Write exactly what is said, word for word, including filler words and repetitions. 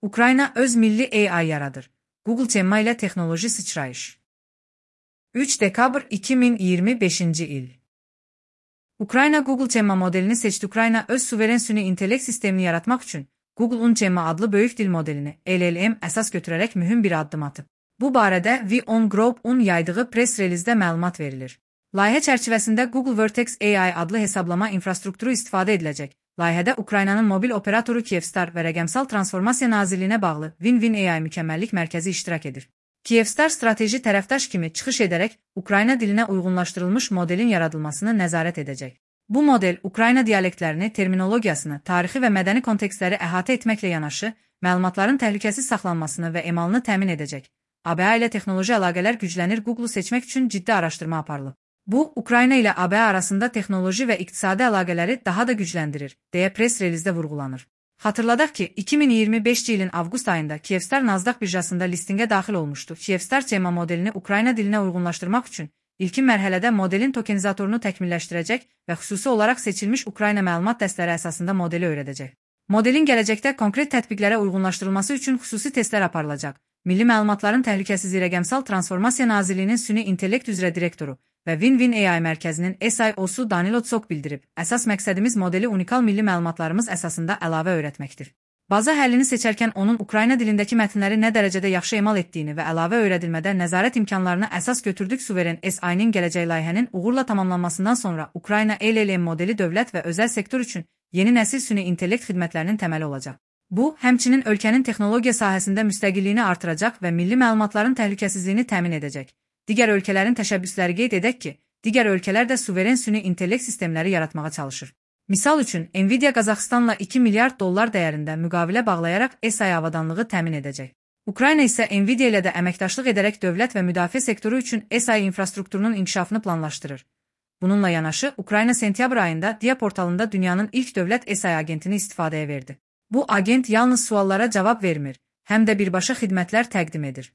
Ukrayna öz milli A I yaradır. Google Gemma ilə texnoloji sıçrayış. üç dekabr iki min iyirmi beşinci il. Ukrayna Google Gemma modelini seçdi. Ukrayna öz suveren süni intellekt sistemini yaratmaq üçün Google'un Gemma adlı böyük dil modelini L L M əsas götürərək mühüm bir addım atıb. Bu barədə V on Group'un yaydığı press relizdə məlumat verilir. Layihə çərçivəsində Google Vertex A I adlı hesablama infrastrukturu istifadə ediləcək. Layihədə Ukraynanın mobil operatoru Kyivstar və Rəqəmsal Transformasiya Nazirliyinə bağlı Win-Win A I mükəmməllik mərkəzi iştirak edir. Kyivstar strateji tərəfdaş kimi çıxış edərək Ukrayna dilinə uyğunlaşdırılmış modelin yaradılmasını nəzarət edəcək. Bu model Ukrayna dialektlərini, terminologiyasını, tarixi və mədəni kontekstləri əhatə etməklə yanaşı, məlumatların təhlükəsiz saxlanmasını və emalını təmin edəcək. A B A ilə texnoloji əlaqələr güclənir. Google seçmək üçün ciddi araşdırma aparılıb. Bu, Ukrayna ilə A B A arasında texnoloji və iqtisadi əlaqələri daha da gücləndirir, deyə press relizdə vurğulanır. Xatırladaq ki, iki min iyirmi beşinci ilin avqust ayında Kyivstar Nasdaq birjasında listinqə daxil olmuşdu. Kyivstar Gemma modelini Ukrayna dilinə uyğunlaşdırmaq üçün ilkin mərhələdə modelin tokenizatorunu təkmilləşdirəcək və xüsusi olaraq seçilmiş Ukrayna məlumat dəstələri əsasında modeli öyrədəcək. Modelin gələcəkdə konkret tətbiqlərə uyğunlaşdırılması üçün xüsusi testlər aparılacaq. Milli Məlumatların Təhlükəsizliyi Rəqəmsal Transformasiya Nazirliyinin Süni İntellekt üzrə direktoru və Win-Win A I mərkəzinin S I O-su Danilo Tsok bildirib. Əsas məqsədimiz modeli unikal milli məlumatlarımız əsasında əlavə öyrətməkdir. Baza həllini seçərkən onun Ukrayna dilindəki mətnləri nə dərəcədə yaxşı emal etdiyini və əlavə öyrədilmədə nəzarət imkanlarını əsas götürdük. Suveren S I-nin gələcək layihənin uğurla tamamlanmasından sonra Ukrayna L L M modeli dövlət və özəl sektor üçün yeni nəsil süni intellekt xidmətlərinin təməli olacaq. Bu, həmçinin ölkənin texnologiya sahəsində müstəqilliyini artıracaq və milli məlumatların təhlükəsizliyini təmin edəcək. Digər ölkələrin təşəbbüsləri qeyd edək ki, digər ölkələr də suveren süni intellekt sistemləri yaratmağa çalışır. Misal üçün, Nvidia Qazaxıstanla iki milyard dollar dəyərində müqavilə bağlayaraq S I avadanlığı təmin edəcək. Ukrayna isə Nvidia ilə də əməkdaşlıq edərək dövlət və müdafiə sektoru üçün S I infrastrukturunun inkişafını planlaşdırır. Bununla yanaşı, Ukrayna sentyabr ayında Dia portalında dünyanın ilk dövlət S I agentini istifadəyə verdi. Bu agent yalnız suallara cavab vermir, həm də birbaşa xidmətlər təqdim edir.